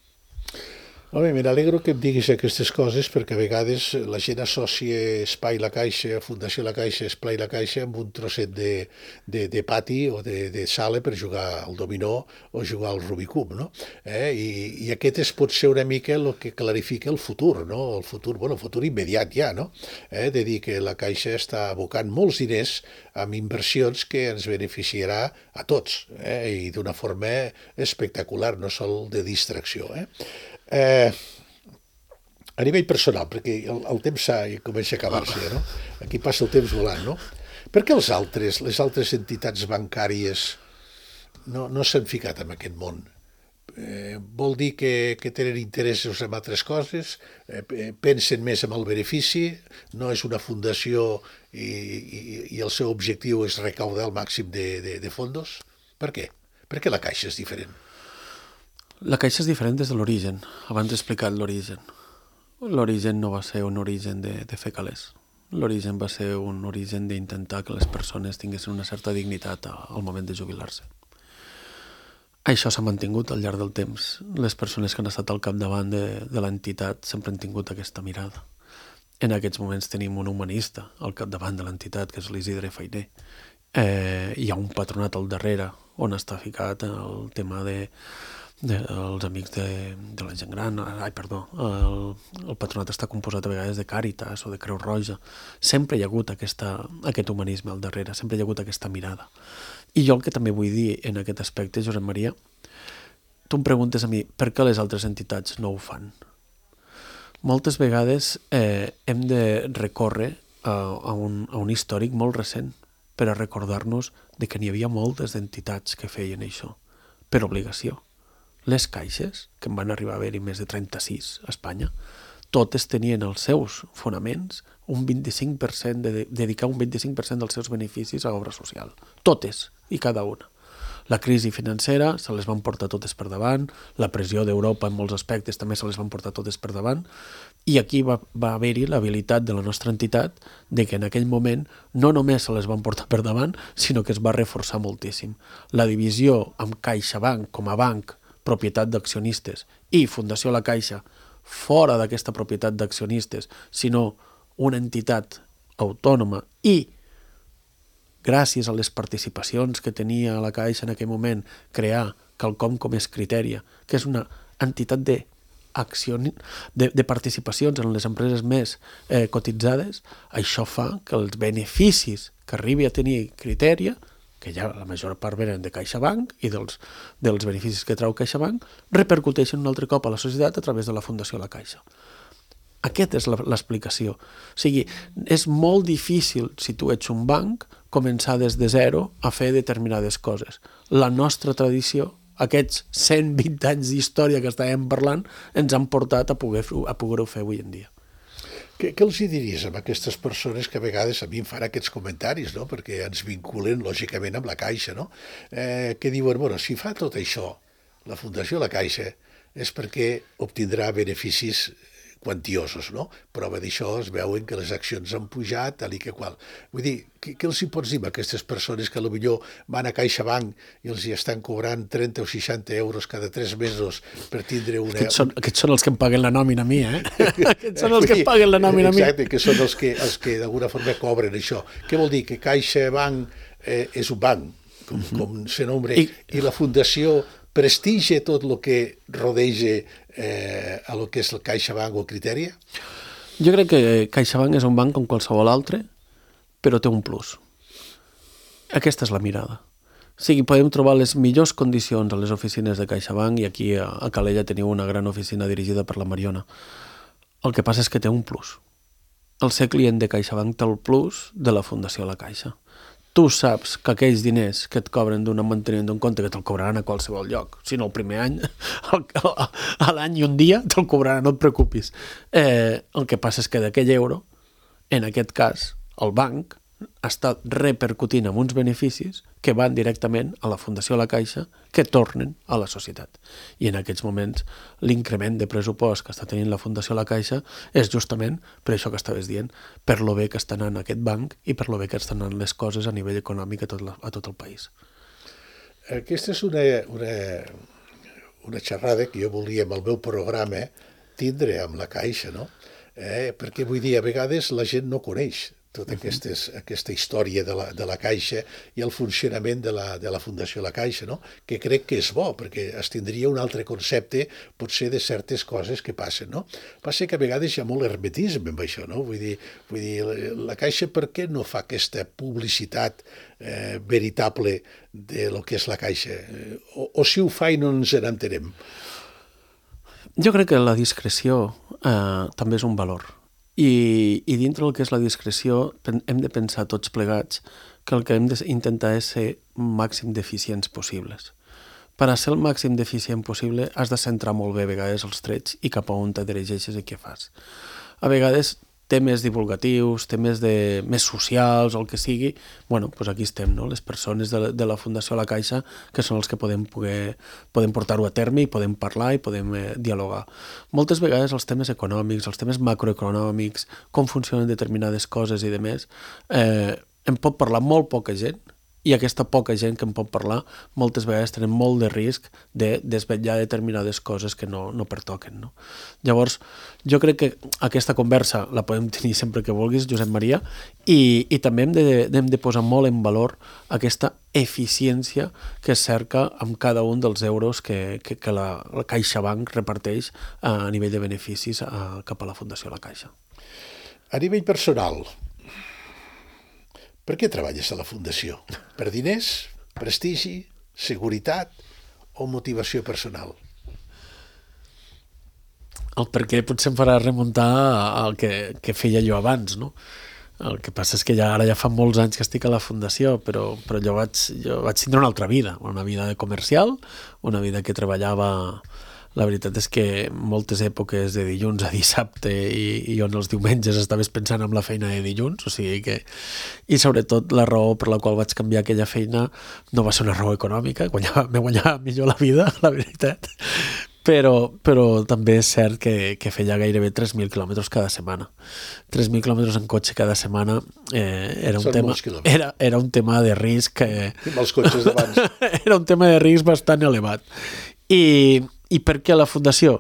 Home, me n'alegro que em diguis aquestes coses perquè a vegades la gent associa Espai La Caixa, Fundació La Caixa, Espai La Caixa amb un trosset de pati o de sala per jugar al dominó o jugar al Rubicub, no? I aquest pot ser una mica el que clarifica el futur, no? El futur immediat ja, no? De dir que la Caixa està abocant molts diners amb inversions que ens beneficiarà a tots, i d'una forma espectacular, no sol de distracció, a nivell personal, perquè el temps comença a acabar-se, no? Aquí passa el temps volant, no? Per què les altres entitats bancàries no s'han ficat en aquest món? Vol dir que tenen interessos en altres coses, pensen més en el benefici, no és una fundació i el seu objectiu és recaudar el màxim de fondos? Per què? Per què la Caixa és diferent? La Caixa és diferent des de l'origen. Abans he explicat l'origen. L'origen no va ser un origen de fer calés. L'origen va ser un origen d'intentar que les persones tinguessin una certa dignitat al moment de jubilar-se. Això s'ha mantingut al llarg del temps. Les persones que han estat al capdavant de l'entitat sempre han tingut aquesta mirada. En aquests moments tenim un humanista al capdavant de l'entitat, que és l'Isidre Fainé. hi ha un patronat al darrere on està ficat el tema dels amics de la gent gran, el patronat està composat a vegades de Càritas o de Creu Roja. Sempre hi ha hagut aquest humanisme al darrere, sempre hi ha hagut aquesta mirada. I jo el que també vull dir en aquest aspecte, Josep Maria, tu em preguntes a mi per què les altres entitats no ho fan. Moltes vegades hem de recórrer a un històric molt recent per a recordar-nos de que n'hi havia moltes entitats que feien això, per obligació. Les caixes, que en van arribar a haver-hi més de 36 a Espanya, totes tenien els seus fonaments un 25%, dedicar un 25% dels seus beneficis a obra social. Totes i cada una. La crisi financera se les van portar totes per davant, la pressió d'Europa en molts aspectes també se les van portar totes per davant, i aquí va haver-hi l'habilitat de la nostra entitat de que en aquell moment no només se les van portar per davant, sinó que es va reforçar moltíssim. La divisió amb CaixaBank com a banc, propietat d'accionistes, i Fundació La Caixa, fora d'aquesta propietat d'accionistes, sinó una entitat autònoma i gràcies a les participacions que tenia la Caixa en aquell moment, crear quelcom com és Criteria, que és una entitat de participacions en les empreses més cotitzades, això fa que els beneficis que arribi a tenir Criteria, que ja la major part venen de CaixaBank i dels beneficis que trau CaixaBank, repercuteixen un altre cop a la societat a través de la Fundació La Caixa. Aquesta és l'explicació. O sigui, és molt difícil, si tu ets un banc, començar des de zero a fer determinades coses. La nostra tradició, aquests 120 anys d'història que estàvem parlant, ens han portat a poder-ho fer avui en dia. Què els hi diries a aquestes persones que a vegades a mi em fan aquests comentaris, no? Perquè ens vinculen lògicament amb la Caixa, no? Que diuen, bueno, si fa tot això la Fundació La Caixa és perquè obtindrà beneficis quantiosos, no? Prova d'això es veuen que les accions han pujat, tal i que qual. Vull dir, què els hi pots dir a aquestes persones que potser van a CaixaBank i els hi estan cobrant 30 o 60 euros cada 3 mesos per tindre una... Aquests són els que em paguen la nòmina a mi, eh? Aquests són els que em paguen la nòmina a mi. Exacte, que són els que d'alguna forma cobren això. Què vol dir? Que CaixaBank és un banc, com se nombra, i la Fundació prestigia tot el que rodeja a lo que és el CaixaBank o el Criteria? Jo crec que CaixaBank és un banc com qualsevol altre, però té un plus. Aquesta és la mirada. O sigui, podem trobar les millors condicions a les oficines de CaixaBank, i aquí a Calella teniu una gran oficina dirigida per la Mariona. El que passa és que té un plus. El ser client de CaixaBank té el plus de la Fundació La Caixa. Tu saps que aquells diners que et cobren d'un manteniment d'un compte, que te'l cobraran a qualsevol lloc, si no el primer any, a l'any i un dia te'l cobraran, no et preocupis. El que passa és que d'aquell euro, en aquest cas, el banc està repercutint amb uns beneficis que van directament a la Fundació La Caixa, que tornen a la societat. I en aquests moments l'increment de pressupost que està tenint la Fundació La Caixa és justament per això que estaves dient, per lo bé que està anant aquest banc i per lo bé que estan anant les coses a nivell econòmic a tot el país. Aquesta és una xerrada que jo volia amb el meu programa tindre amb la Caixa, no? Perquè vull dir, a vegades la gent no coneix tota aquesta història de la Caixa i el funcionament de la Fundació La Caixa, no? Que crec que és bo, perquè es tindria un altre concepte, potser, de certes coses que passen, no? Passa que a vegades hi ha molt hermetisme amb això, no? Vull dir, la Caixa per què no fa aquesta publicitat veritable de lo que és la Caixa? O si ho fa i no ens n'entenem? Jo crec que la discreció també és un valor. I dintre del que és la discreció hem de pensar tots plegats que el que hem d'intentar és ser màxim d'eficients possibles. Per a ser el màxim d'eficient possible has de centrar molt bé a vegades els trets i cap a on te dirigeixes i què fas. A vegades temes divulgatius, temes més socials o el que sigui, bueno, doncs aquí estem, no? Les persones de la Fundació La Caixa, que són els que podem portar-ho a terme i podem parlar i podem dialogar. Moltes vegades els temes econòmics, els temes macroeconòmics, com funcionen determinades coses i demés, en pot parlar molt poca gent i aquesta poca gent que en pot parlar moltes vegades tenen molt de risc de desvetllar determinades coses que no pertoquen. No? Llavors, jo crec que aquesta conversa la podem tenir sempre que vulguis, Josep Maria, i també hem de posar molt en valor aquesta eficiència que es cerca amb cada un dels euros que la CaixaBank reparteix a nivell de beneficis cap a la Fundació La Caixa. A nivell personal, per què treballes a la Fundació? Per diners, prestigi, seguretat o motivació personal? El per què potser em farà remuntar al que feia jo abans, no? El que passa és que ara ja fa molts anys que estic a la Fundació, però jo vaig tindre una altra vida, una vida de comercial, una vida que treballava. La veritat és que moltes èpoques de dilluns a dissabte i on els diumenges estaves pensant en la feina de dilluns, o sigui que... I sobretot la raó per la qual vaig canviar aquella feina no va ser una raó econòmica, me guanyava millor la vida, la veritat, però també és cert que feia gairebé 3.000 quilòmetres cada setmana. 3.000 quilòmetres en cotxe cada setmana era un tema de risc... Amb els cotxes d'abans. Era un tema de risc bastant elevat. I per què la Fundació?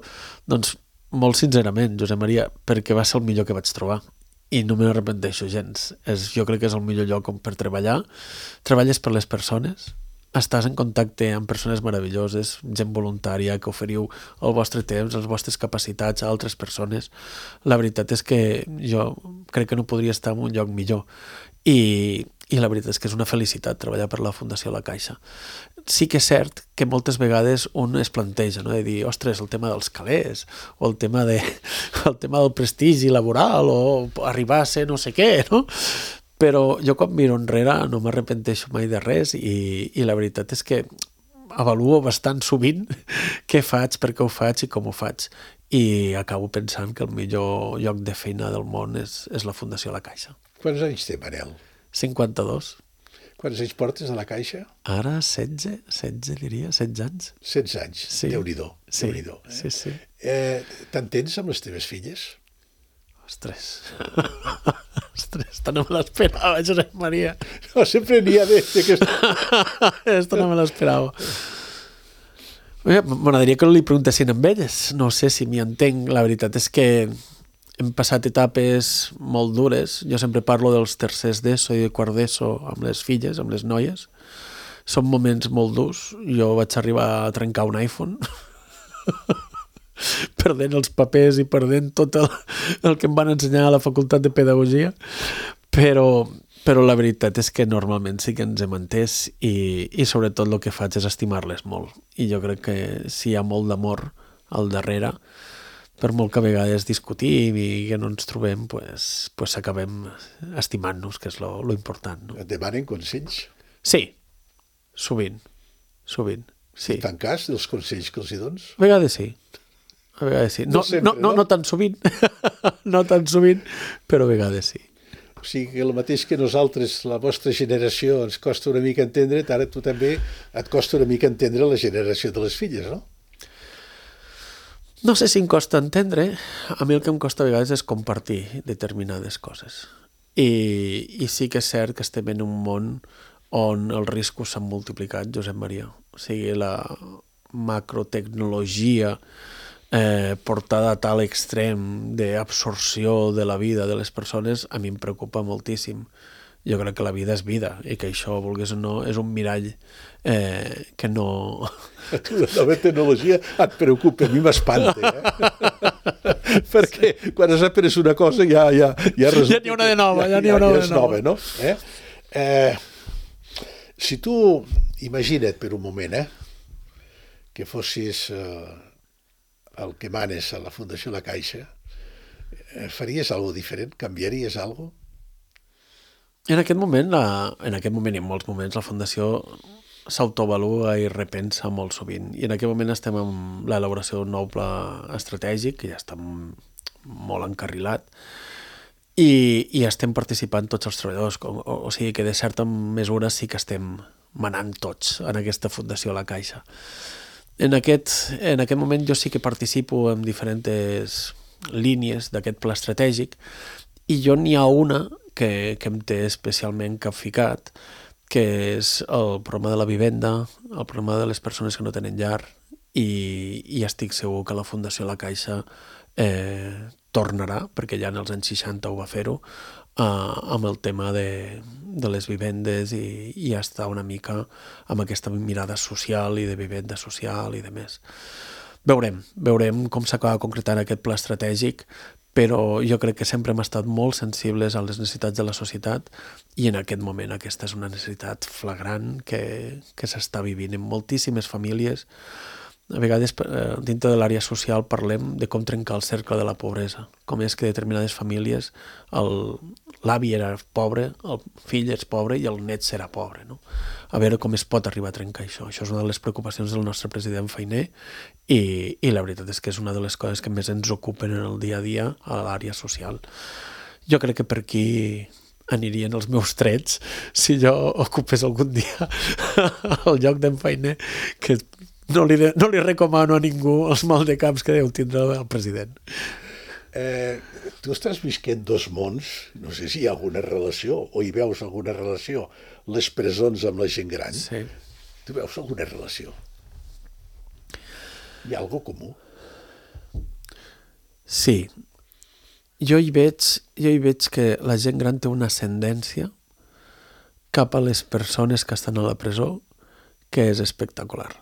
Doncs molt sincerament, Josep Maria, perquè va ser el millor que vaig trobar i no me n'arrepenteixo gens. Jo crec que és el millor lloc per treballar. Treballes per les persones, estàs en contacte amb persones meravelloses, gent voluntària, que oferiu el vostre temps, les vostres capacitats a altres persones. La veritat és que jo crec que no podria estar en un lloc millor. I la veritat és que és una felicitat treballar per la Fundació La Caixa. Sí que és cert que moltes vegades un es planteja, no? De dir, ostres, el tema dels calés, o el tema del prestigi laboral, o arribar a ser no sé què, no? Però jo quan miro enrere no m'arrepenteixo mai de res i la veritat és que avaluo bastant sovint què faig, per què ho faig i com ho faig. I acabo pensant que el millor lloc de feina del món és la Fundació La Caixa. Quants anys té, Manel? 52. Quants anys portes a la Caixa? Ara 16 diria, 16 anys. 16 anys, sí. Déu-n'hi-do. Sí, Déu-n'hi-do, sí. T'entens amb les teves filles? Ostres, esta no me l'esperava, Josep Maria. No, sempre n'hi ha d'aquesta. Esta no me l'esperava. M'agradaria que li preguntessin amb elles. No sé si m'hi entenc. La veritat és que hem passat etapes molt dures. Jo sempre parlo dels tercers d'ESO i de quart d'ESO amb les filles, amb les noies. Són moments molt durs. Jo vaig arribar a trencar un iPhone perdent els papers i perdent tot el que em van ensenyar a la Facultat de Pedagogia, però la veritat és que normalment sí que ens hem entès i sobretot el que faig és estimar-les molt. I jo crec que si hi ha molt d'amor al darrere, per molt que a vegades discutim i que no ens trobem, pues acabem estimant-nos, que és lo important. No? Et demanen consells? Sí, sovint. Sí. Fan cas dels consells que els hi dones? A vegades sí. No tan sovint, no tan sovint, però a vegades sí. O sigui que el mateix que nosaltres, la vostra generació, ens costa una mica entendre, ara tu també et costa una mica entendre la generació de les filles, no? No sé si em costa entendre, a mi el que em costa a vegades és compartir determinades coses. I sí que és cert que estem en un món on els riscos s'han multiplicat, Josep Maria. O sigui, la macrotecnologia portada a tal extrem d'absorció de la vida de les persones, a mi em preocupa moltíssim. Jo crec que la vida és vida i que això, vulguis o no, és un mirall que no... A tu la nova tecnologia et preocupa, a mi m'espanta, perquè quan has après una cosa ja resulta... Ja n'hi ha una de nova, ja n'hi ha una de nova. No? Si tu, imagina't per un moment, que fossis el que manes a la Fundació La Caixa, faries alguna cosa diferent? Canviaries alguna cosa? En aquest moment i en molts moments, la Fundació s'autoavalua i repensa molt sovint. I en aquest moment estem en l'elaboració d'un nou pla estratègic, que ja està molt encarrilat, i estem participant tots els treballadors. O sigui que de certa mesura sí que estem manant tots en aquesta Fundació La Caixa. En aquest moment jo sí que participo en diferents línies d'aquest pla estratègic i jo n'hi ha una que em té especialment capficat, que és el problema de la vivenda, el problema de les persones que no tenen llar, i estic segur que la Fundació La Caixa tornarà, perquè ja en els anys 60 ho va fer-ho, amb el tema de les vivendes i estar una mica amb aquesta mirada social i de vivenda social i de més. Veurem com s'acaba concretant aquest pla estratègic, però jo crec que sempre hem estat molt sensibles a les necessitats de la societat i en aquest moment aquesta és una necessitat flagrant que s'està vivint en moltíssimes famílies. A vegades, dintre de l'àrea social, parlem de com trencar el cercle de la pobresa, com és que determinades famílies l'avi era pobre, el fill és pobre i el net serà pobre, no? A veure com es pot arribar a trencar això. Això és una de les preocupacions del nostre president Fainé i la veritat és que és una de les coses que més ens ocupen en el dia a dia a l'àrea social. Jo crec que per aquí anirien els meus trets si jo ocupés algun dia el lloc d'en Fainé, que no li recomano a ningú els maldecaps que deu tindre el president. Tu estàs visquent dos mons, no sé si hi ha alguna relació o hi veus alguna relació, les presons amb la gent gran. Sí. Tu veus alguna relació? Hi ha alguna comú? Sí. Jo hi veig que la gent gran té una ascendència cap a les persones que estan a la presó que és espectacular.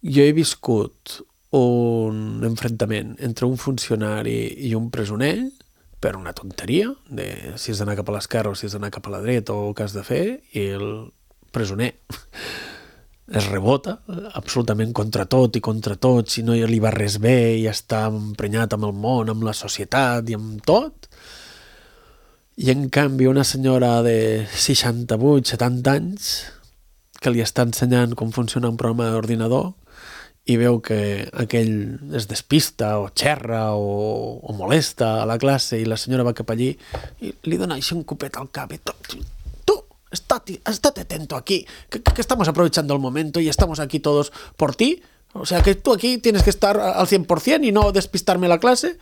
Jo he viscut un enfrontament entre un funcionari i un presoner per una tonteria, de si has d'anar cap a l'esquerra o si has d'anar cap a la dreta o què has de fer, i el presoner es rebota absolutament contra tot i contra tots, i no li va res bé i està emprenyat amb el món, amb la societat i amb tot. I en canvi una senyora de 68, 70 anys que li està ensenyant com funciona un programa d'ordinador i veu que aquell es despista o xerra o molesta a la classe i la senyora va cap allí i li dona així un copet al cap i tú, estate atento aquí, que estamos aprovechando el momento y estamos aquí todos por ti, o sea que tú aquí tienes que estar al 100% y no despistarme la clase.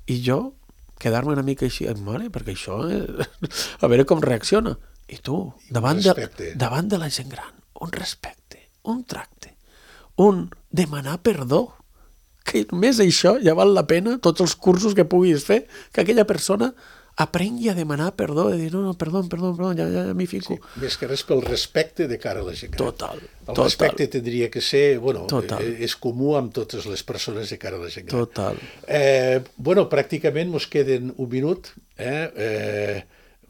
I jo quedar-me una mica així, mare, perquè això a veure com reacciona. I tu, davant de la gent gran, un respecte, un tracte, un demanar perdó, que només això ja val la pena, tots els cursos que puguis fer, que aquella persona aprengui a demanar perdó, de dir, no, perdó, ja m'hi fico. Sí, més que res pel respecte de cara a la gent gran. Total. El respecte tindria que ser, és comú amb totes les persones de cara a la gent gran. Total. Pràcticament mos queden un minut,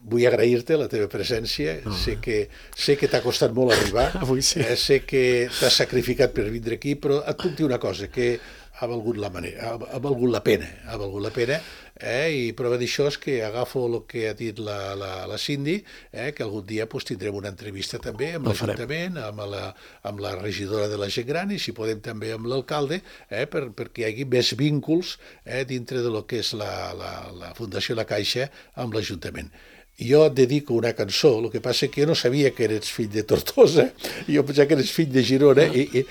vull agrair-te la teva presència, sé que t'ha costat molt arribar, avui sí. Sé que t'has sacrificat per vindre aquí, però et puc dir una cosa, que ha valgut la pena, i prova d'això és que agafo el que ha dit la Cindy, que algun dia tindrem una entrevista també amb l'Ajuntament, amb la regidora de la gent gran i si podem també amb l'alcalde, perquè hi hagi més vínculs dintre de lo que és la Fundació La Caixa amb l'Ajuntament. Jo et dedico una cançó, el que passa que jo no sabia que eres fill de Tortosa, jo pensava que eres fill de Girona, i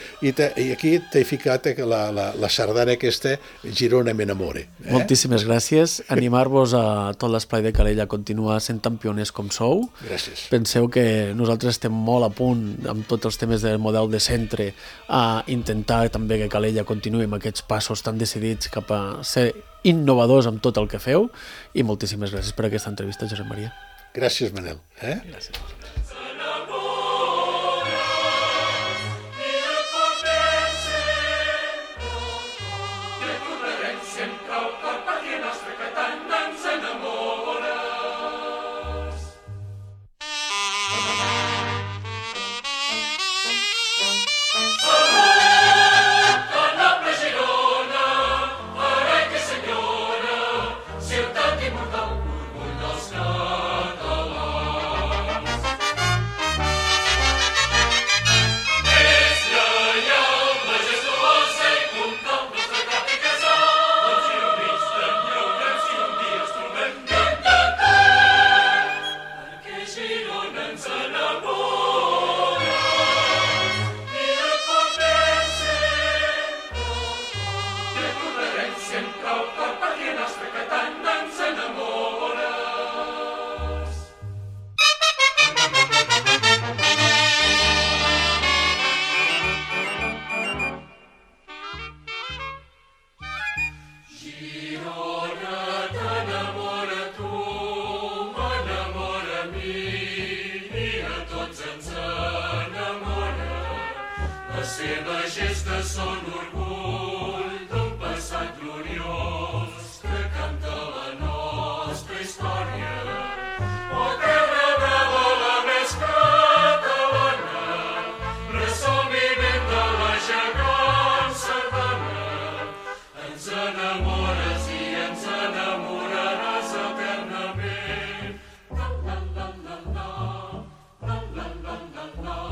aquí t'he ficat la sardana aquesta, Girona m'enamore. Moltíssimes gràcies. Animar-vos a tot l'esplai de Calella a continuar sent campioners com sou. Gràcies. Penseu que nosaltres estem molt a punt amb tots els temes del model de centre a intentar també que Calella continuï amb aquests passos tan decidits cap a ser innovadors amb tot el que feu, i moltíssimes gràcies per aquesta entrevista, Josep Maria. Gràcies, Manel. Gràcies. seves gestes són orgull d'un passat gloriós que canta la nostra història. Oh, terra brava, la més catalana, ressò vivent de la gegant sardana. Ens enamores i ens enamoraràs eternament. La, la, la, la, la, la, la, la, la, la.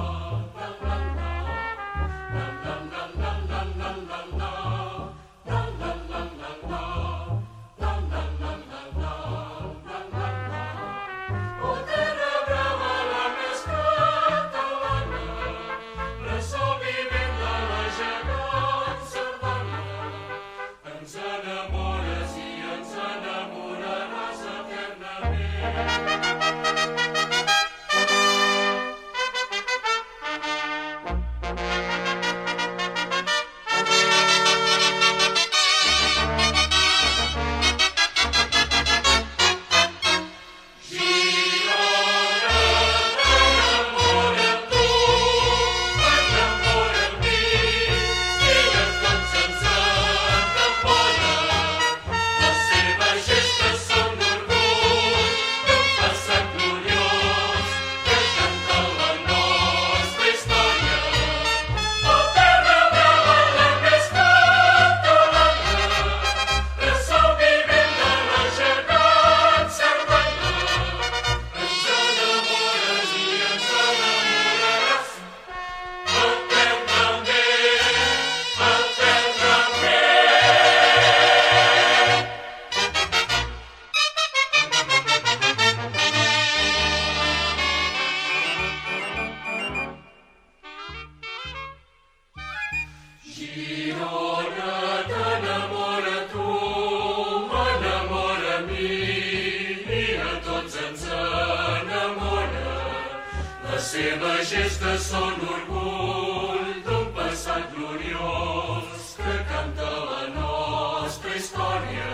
Les seves gestes són orgull d'un passat gloriós que canta la nostra història.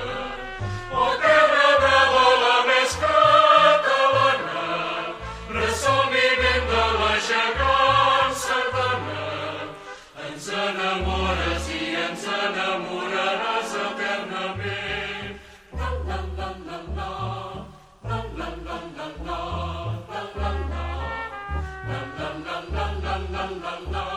Oh, terra brava, la més catalana, ressò vivent de la gegant sardana. Ens enamores i ens enamoraràs eternament. La, la, la, la, la, la, la, la, la, la, la, la, la. La la la la la la la la.